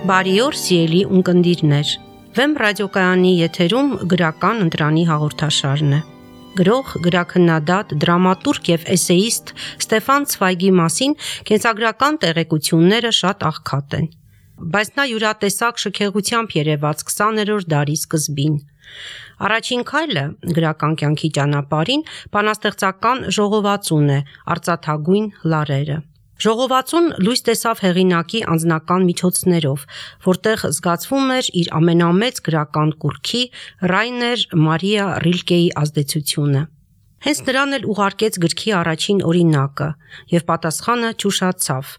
Բարի օր, սիրելի ունկնդիրներ։ Վեմ ռադիոկայանի եթերում գրական ընտրանի հաղորդաշարն է։ Գրող, գրաքննադատ, դրամատուրգ եւ էսեիստ Ստեֆան Ցվայգի մասին կենսագրական տեղեկությունները շատ աղքատ են։ Բայց նա յուրատեսակ շքեղությամբ երևաց 20-րդ դարի սկզբին։ Առաջին քայլը գրական կյանքի ճանապարհին բանաստեղծական ժողովածուն է Արծաթագույն լարերը։ Ժողովածուն լույս տեսավ հեղինակի անձնական միջոցներով, որտեղ զգացվում էր իր ամենամեծ գրական կուռքի Ռայներ Մարիա Ռիլկեի ազդեցությունը։ Հենց նրան էլ ուղարկեց գրքի առաջին օրինակը, եւ պատասխանը ճուշացավ։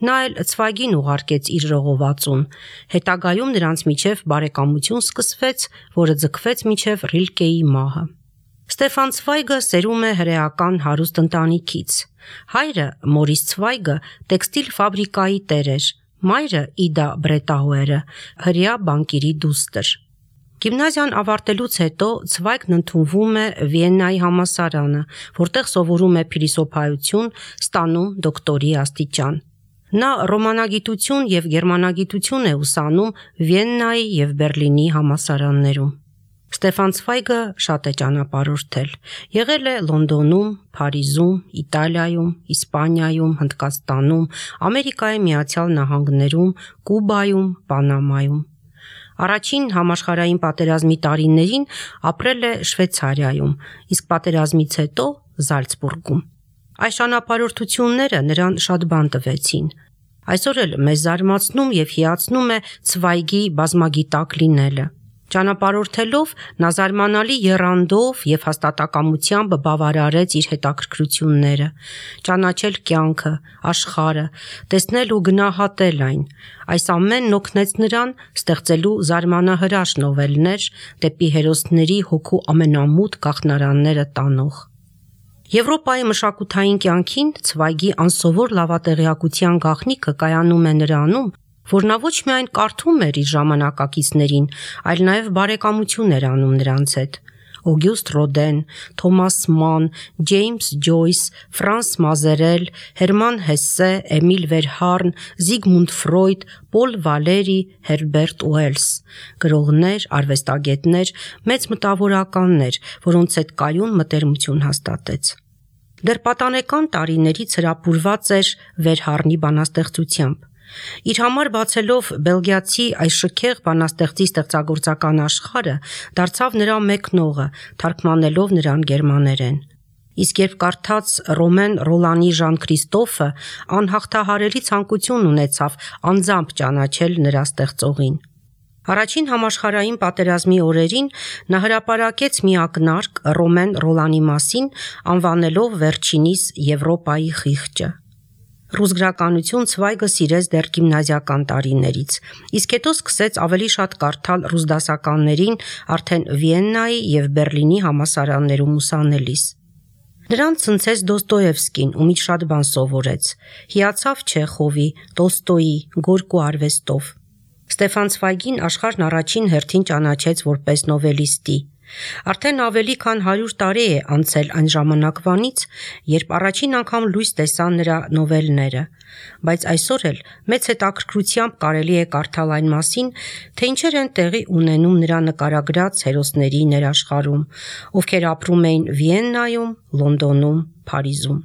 Նա էլ Ցվայգին ուղարկեց իր ժողովածուն։ Հետագայում նրանց միջև բարեկամություն սկսվեց, որը ձգվեց մինչև Ռիլկեի մահը։ Ստեֆան Ցվայգը սերում է հրեական հարուստ ընտանիքից։ Հայրը Մորիս Ցվայգը տեքստիլ ֆաբրիկայի տեր էր, մայրը Իդա Բրետաուերը հրեա բանկիրի դուստր։ Գիմնազիան ավարտելուց հետո Ցվայգն ընդունվում է Վիեննայի համալսարանը, որտեղ սովորում է փիլիսոփայություն, ստանում դոկտորի աստիճան։ Նա ռոմանագիտություն եւ գերմանագիտություն է ուսանում Վիեննայի եւ Բերլինի համալսարաններում։ Ստեֆան Ցվայգը շատ է ճանապարհորդել։ Եղել է Լոնդոնում, Փարիզում, Իտալիայում, Իսպանիայում, Հնդկաստանում, Ամերիկայի Միացյալ Նահանգներում, Կուբայում, Պանամայում։ Առաջին համաշխարհային պատերազմի տարիներին ապրել է Շվեյցարիայում, իսկ պատերազմից հետո Զալցբուրգում։ Այս ճանապարհորդությունները նրան շատ բան տվեցին։ Այսօր էլ մեզ զարմացնում եւ հիացնում է Ցվայգի բազմագիտակ լինելը։ Ճանապարհորդելով նա զարմանալի եռանդով եւ հաստատակամությամբ բավարարեց իր հետաքրքրությունները, ճանաչել կյանքը, աշխարհը, տեսնել ու գնահատել այն։ Այս ամենն օգնեց նրան ստեղծելու զարմանահրաշ նովելներ դեպի հերոսների հոգու ամենամութ գաղտնարանները տանող։ Եվրոպայի մշակութային կյանքին Ցվայգի անսովոր լավատեղյակության գաղտնիքը կայանում է նրանում, որ նա ոչ միայն կարդում էր իր ժամանակակիցներին, այլ նաև բարեկամություն էր անում նրանց հետ։ Օգյուստ Ռոդեն, Թոմաս Ման, Ջեյմս Ջոյս, Ֆրանս Մազերել, Հերման Հեսսե, Էմիլ Վերհարն, Զիգմունդ Ֆրոյդ, Պոլ Վալերի, Հերբերտ Ուելս, գրողներ, արվեստագետներ, մեծ մտավորականներ, որոնց հետ կայուն մտերմություն հաստատեց։ Դեռ պատանեկան տարիներից հրապուրված էր Վերհարնի բանաստեղծությամբ։ Իր համար բացելով բելգիացի այս շքեղ բանաստեղծի ստեղծագործական աշխարհը, դարձավ նրա մեկնողը, թարգմանելով նրան գերմաներեն։ Իսկ երբ կարդաց Ռոմեն Ռոլանի Ժան Քրիստոֆը, անհաղթահարելի ցանկություն ունեցավ անձամբ ճանաչել նրա ստեղծողին։ Առաջին համաշխարհային պատերազմի օրերին նա հրապարակեց մի ակնարկ Ռոմեն Ռոլանի մասին, անվանելով վերջինիս Եվրոպայի խիղճը։ Ռուս գրականություն Ցվայգը սիրեց դեռ գիմնազիական տարիներից, իսկ հետո սկսեց ավելի շատ կարդալ ռուս դասականներին արդեն Վիեննայի եւ Բերլինի համալսարաններում ուսանելիս։ Նրան ցնցեց Դոստոևսկին, ումից շատ բան սովորեց։ Հիացավ Չեխովի, Տոլստոյի, Գորկու արվեստով։ Ստեֆան Ցվայգին աշխարհն առաջին հերթին ճանաչեց որպես նովելիստի։ Արդեն ավելի քան 100 տարի է անցել այն ժամանակվանից, երբ առաջին անգամ լույս տեսան նրա նովելները, բայց այսօր էլ մեծ հետաքրքրությամբ կարելի է կարդալ այն մասին, թե ինչեր են տեղի ունենում նրա նկարագրած հերոսների ներաշխարհում, ովքեր ապրում էին Վիեննայում, Լոնդոնում, Փարիզում։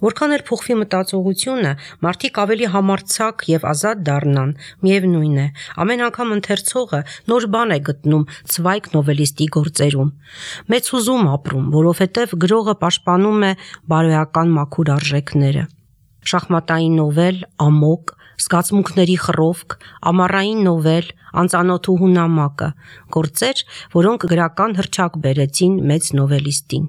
Որքան էլ փոխվի մտածողությունը, մարդիկ ավելի համարձակ եւ ազատ դառնան, միևնույն է, ամեն անգամ ընթերցողը նոր բան է գտնում Ցվայգ նովելիստի գործերում։ Մեծ հուզում ապրում, որովհետեւ գրողը պաշտպանում է բարոյական մաքուր արժեքները։ Շախմատային նովել, ամոկ, զգացմունքների խռովք, ամառային նովել, անծանոթուհու նամակը, գործեր, որոնք գրական հռչակ բերեցին մեծ նովելիստին։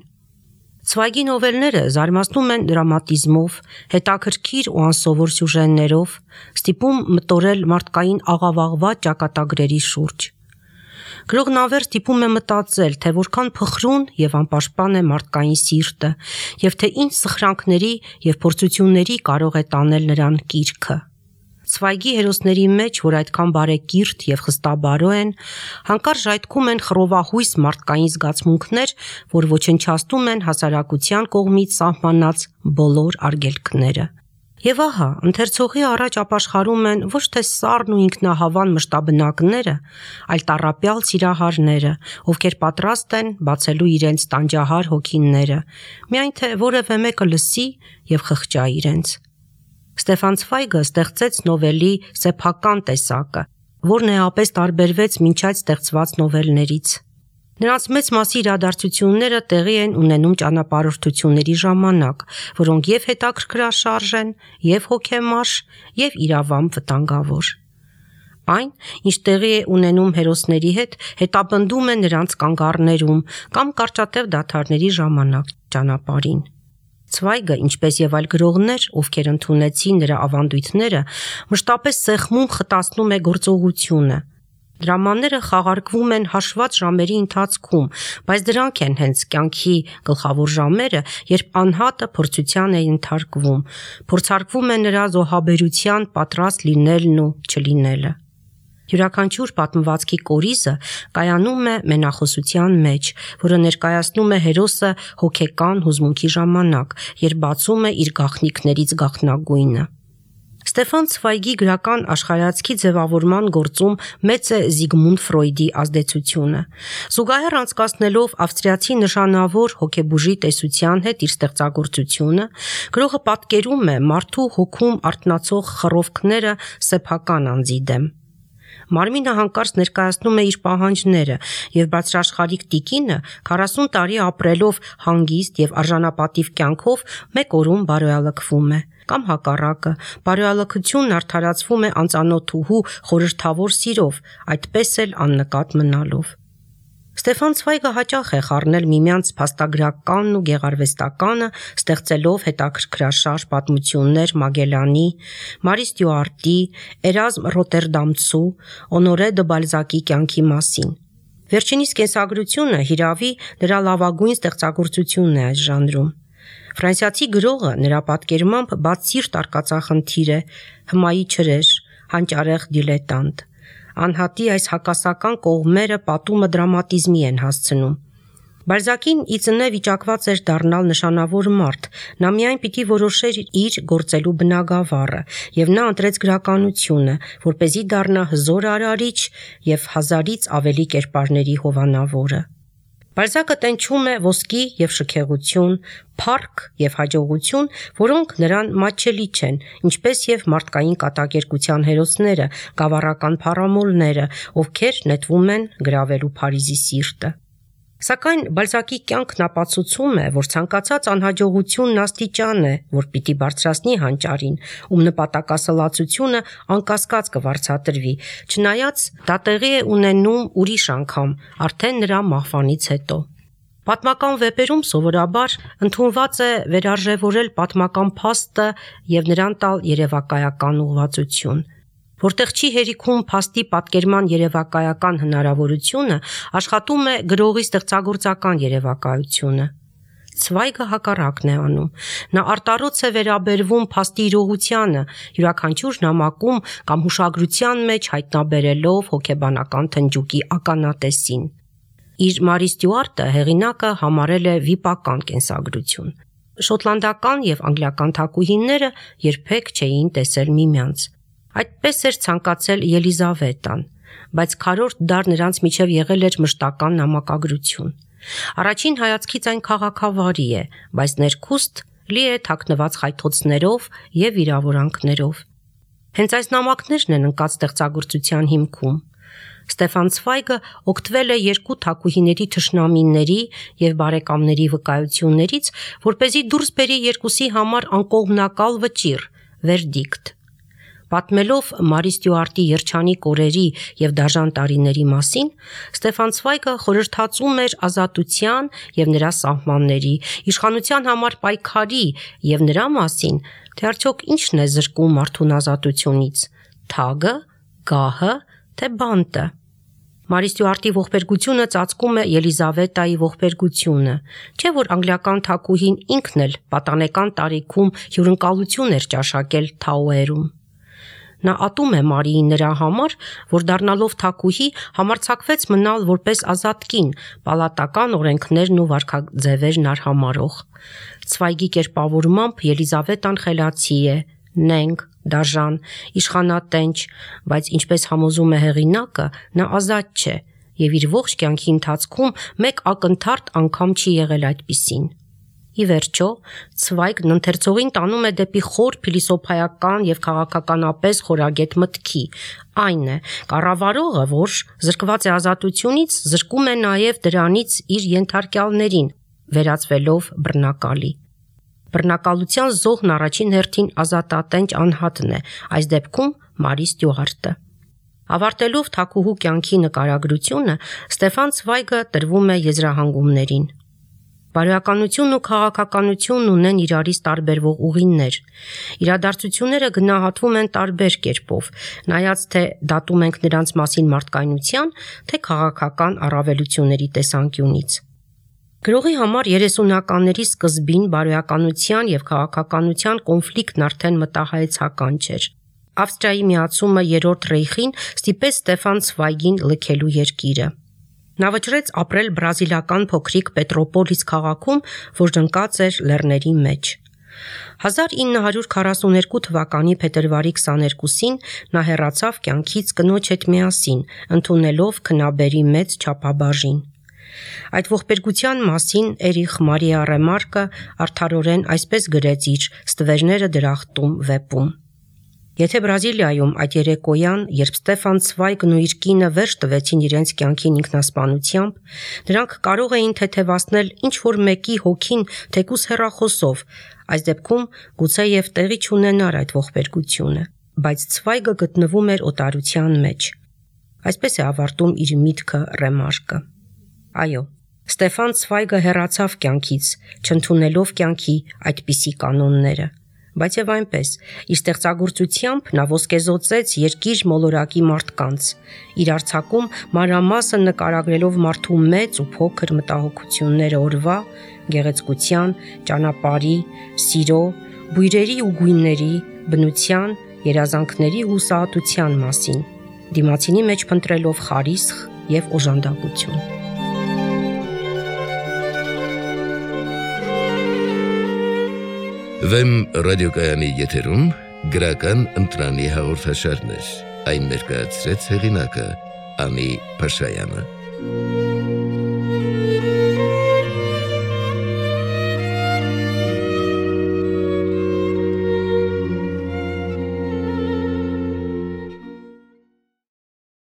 Ցվայգի նովելները զարմացնում են դրամատիզմով, հետաքրքիր ու անսովոր սյուժեներով, ստիպում մտորել մարդկային աղավաղված ճակատագրերի շուրջ։ Գրողն անվերջ ստիպում է մտածել, թե որքան փխրուն եւ անպաշտպան է մարդկային սիրտը, եւ թե ինչ սխրանքների եւ փորձությունների կարող է տանել նրան կիրքը։ Ցվայգի հերոսների մեջ, որ այդքան բարեկիրթ եւ խստաբարո են, հանկարծ ժայթքում են խռովահույս մարդկային զգացմունքներ, որ ոչնչացնում են հասարակության կողմից սահմանած բոլոր արգելքները։ Եվ ահա, ընթերցողի առաջ ապաշխարում են ոչ թե սառն ու ինքնահավան մշտաբնակները, այլ տառապյալ սիրահարները, ովքեր պատրաստ են բացելու իրենց տանջահար հոգիները, միայն թե որևէ մեկը լսի եւ խղճա իրենց։ Ստեֆան Ցվայգը ստեղծեց նովելի սեփական տեսակը, որն էապես տարբերվեց մինչ այդ ստեղծված նովելներից։ Նրանց մեծ մասի իրադարձությունները տեղի են ունենում ճանապարհորդությունների ժամանակ, որոնք եւ հետաքրքրաշարժ են, եւ հոգեմարշ, եւ իրավամբ վտանգավոր։ Այն, ինչ տեղի է ունենում հերոսների հետ, հետապնդում է նրանց կանգառներում կամ կարճատև դադարների ժամանակ ճանապարհին։ Ցվայգը, ինչպես եւ այլ գրողներ, ովքեր ընդունեցին նրա ավանդույթները, մշտապես սեղմում խտացնում է գործողությունը։ Դրամաները խաղարկվում են հաշված ժամերի ընթացքում, բայց դրանք են հենց կյանքի գլխավոր ժամերը, երբ անհատը փորձության է ենթարկվում, փորձարկվում է նրա զոհաբերության պատրաստ լինելն ու չլինելը։ Յուրաքանչյուր պատմվածքի կորիզը կայանում է մենախոսության մեջ, որը ներկայացնում է հերոսը հոգեկան հուզմունքի ժամանակ, երբ բացում է իր գաղտնիքներից գաղտնագույնը։ Ստեֆան Ցվայգի գրական աշխարհայացքի ձևավորման գործում մեծ է Զիգմունդ Ֆրոյդի ազդեցությունը։ Զուգահեռ անցկացնելով ավստրիացի նշանավոր հոգեբուժի տեսության հետ իր ստեղծագործությունը, գրողը պատկերում է մարդու հոգում արթնացող խռովքները սեփական անձի դեմ։ Մարմինը հանկարծ ներկայացնում է իր պահանջները, եւ բարձրաշխարհիկ տիկինը 40 տարի ապրելով հանգիստ եւ արժանապատիվ կյանքով մեկ օրում բարոյալքվում է, կամ հակառակը, բարոյալքությունն արդարացվում է անծանոթուհու խորհրդավոր սիրով, այդպես էլ աննկատ մնալով։ Ստեֆան Ցվայգը հաճախ է խառնել միմյանց փաստագրականն ու գեղարվեստականը, ստեղծելով հետաքրքրաշարժ պատմություններ Մագելանի, Մարի Ստյուարտի, Էրազմ Ռոտերդամցու, Օնորե դը Բալզակի կյանքի մասին։ Վերջինիս կենսագրությունը հիրավի նրա լավագույն ստեղծագործությունն է այս ժանրում։ Ֆրանսիացի գրողը նրա պատկերմամբ բացսիրտ արկածախնդիր է, հմայի չրեժ, հանճարեղ դիլետանտ։ Անհատի այս հակասական կողմերը պատումը դրամատիզմի են հասցնում։ Բալզակին ի ծնե վիճակված էր դառնալ նշանավոր մարդ, նա միայն պիտի որոշեր իր գործելու բնագավառը, եւ նա ընտրեց գրականությունը, որպեսզի դառնա հզոր արարիչ եւ հազարից ավելի կերպարների հովանավորը։ Բալզակը տենչում է ոսկի եւ շքեղություն, փառք եւ հաջողություն, որոնք նրան մատչելի չեն, ինչպես եւ մարդկային կատակերգության հերոսները, գավառական փառամոլները, ովքեր նետվում են գրավելու Փարիզի սիրտը։ Սակայն Բալզակի կյանքն ապացուցում է, որ ցանկացած անհաջողությունն աստիճան է, որ պիտի բարձրացնի հանճարին, ում նպատակասլացությունը անկասկած կվարձատրվի, չնայած դա տեղի է ունենում ուրիշ անգամ, արդեն նրա մահվանից հետո։ Պատմական վեպերում սովորաբար ընդունված է վերարժևորել պատմական փաստը եւ նրան տալ երևակայական ուղղվածություն։ Որտեղ չի հերիքում փաստի պատկերման երևակայական հնարավորությունը, աշխատում է գրողի ստեղծագործական երևակայությունը։ Ցվայգը հակառակն է անում։ Նա արտառոց է վերաբերվում փաստի իրողությանը, յուրաքանչյուր նամակում կամ հուշագրության մեջ հայտնաբերելով հոգեբանական թնջուկի ականատեսին։ Իր Մարի Ստյուարտը հեղինակը համարել է վիպական կենսագրություն։ Շոտլանդական եւ անգլիական թագուհիները երբեք չէին տեսել միմյանց։ Այդպես էր ցանկացել Ելիզավետան, բայց քառորդ դար նրանց միջև եղել էր մշտական նամակագրություն։ Առաջին հայացքից այն քաղաքավարի է, բայց ներքուստ լի է թաքնված խայթոցներով եւ վիրավորանքներով։ Հենց այս նամակներն են ընկած ստեղծագործության հիմքում։ Ստեֆան Ցվայգը օգտվել է երկու թագուհիների թշնամիների եւ բարեկամների վկայություններից, որպեսզի դուրս բերի երկուսի համար անկողմնակալ վճիռ, վերդիկտ։ Պատմելով Մարի Ստյուարտի երջանիկ օրերի եւ դաժան տարիների մասին, Ստեֆան Ցվայգը խորհրդածում էր ազատության եւ նրա սահմանների, իշխանության համար պայքարի եւ նրա մասին, թե արդյոք ինչն է զրկում մարդուն ազատությունից՝ թագը, գահը, թե բանտը։ Մարի Ստյուարտի ողբերգությունը ծածկում է Ելիզավետայի ողբերգությունը, չէ՞ որ անգլիական թագուհին ինքն էլ պատանեկան տարիքում հյուրընկալություն էր ճաշակել Թաուերում։ Նա ատում է Մարիի նրա համար, որ դառնալով թագուհի համարձակվեց մնալ որպես ազատ կին, պալատական օրենքներն ու վարքաձևերն արհամարհող։ Ցվայգի կերպավորմամբ Ելիզավետան խելացի է, նենգ, դաժան, իշխանատենչ, բայց ինչպես համոզում է հեղինակը, նա ազատ չէ եւ իր ողջ կյանքի ընթացքում մեկ ակնթարթ անգամ չի եղել այդպիսին։ Ի վերջո, Ցվայգն ընթերցողին տանում է դեպի խոր փիլիսոփայական եւ քաղաքականապես խորագետ մտքի, այն է, կառավարողը, որ զրկված է ազատությունից, զրկում է նաեւ դրանից իր ենթարկյալներին, վերածվելով բռնակալի։ Բռնակալության զոհն առաջին հերթին ազատատենչ անհատն է, այս դեպքում Մարի Ստյուարտը։ Ավարտելով թագուհու կյանքի նկարագրությունը, Ստեֆան Ցվայգը տրվում է եզրահանգումներին։ Բարոյականությունն ու քաղաքականությունն ունեն իրարից տարբերվող ուղիներ։ Իրադարձությունները գնահատվում են տարբեր կերպով, նայած թե դատում ենք նրանց մասին մարդկայնության, թե քաղաքական առավելությունների տեսանկյունից։ Գրողի համար 30-ականների սկզբին բարոյականության եւ քաղաքականության կոնֆլիկտն արդեն մտահայեցական չէր։ Ավստրիայի միացումը Երրորդ Ռեյխին ստիպեց Ստեֆան Ցվայգին լքելու երկիրը։ Նա վճռեց ապրել բրազիլական փոքրիկ Պետրոպոլիս քաղաքում, որն ընկած էր լեռների մեջ։ 1942 թվականի փետրվարի 22-ին նա հեռացավ կյանքից կնոջ հետ միասին, ընդունելով քնաբերի մեծ չափաբաժին։ Այդ ողբերգության մասին Էրիխ Մարիա Ռեմարկը արդարորեն այսպես գրեց իր «Ստվերները դրախտում» վեպում. Եթե Բրազիլիայում այդ երեկոյան, երբ Ստեֆան Ցվայգն ու իր կինը վերջ տվեցին իրենց կյանքին ինքնասպանությամբ, նրանք կարող էին թեթևացնել ինչ-որ մեկի հոգին թեկուզ հեռախոսով, այս դեպքում գուցեև տեղի չունենար այդ ողբերգությունը, բայց Ցվայգը գտնվում էր օտարության մեջ։ Այսպես է ավարտում իր միտքը Ռեմարկը։ Այո, Ստեֆան Ցվայգը հեռացավ կյանքից, չընդունելով կյանքի այդպիսի կանոնները։ Բայց եւ այնպես, իր ստեղծագործությամբ նա ոսկեզօծեց երկիր մոլորակի մարդկանց, իր արձակում մանրամասն նկարագրելով մարդու մեծ ու փոքր մտահոգությունները օրվա, գեղեցկության, ճանապարհի, սիրո, բույրերի ու գույների, բնության, երազանքների ու հուսահատության մասին, դիմացինի մեջ փնտրելով խարիսխ եւ օժանդակություն։ Վեմ ռադիոկայանի եթերում գրական ընտրանի հաղորդաշարներ, այն ներկայացրեց հեղինակը Անի Փաշայանը։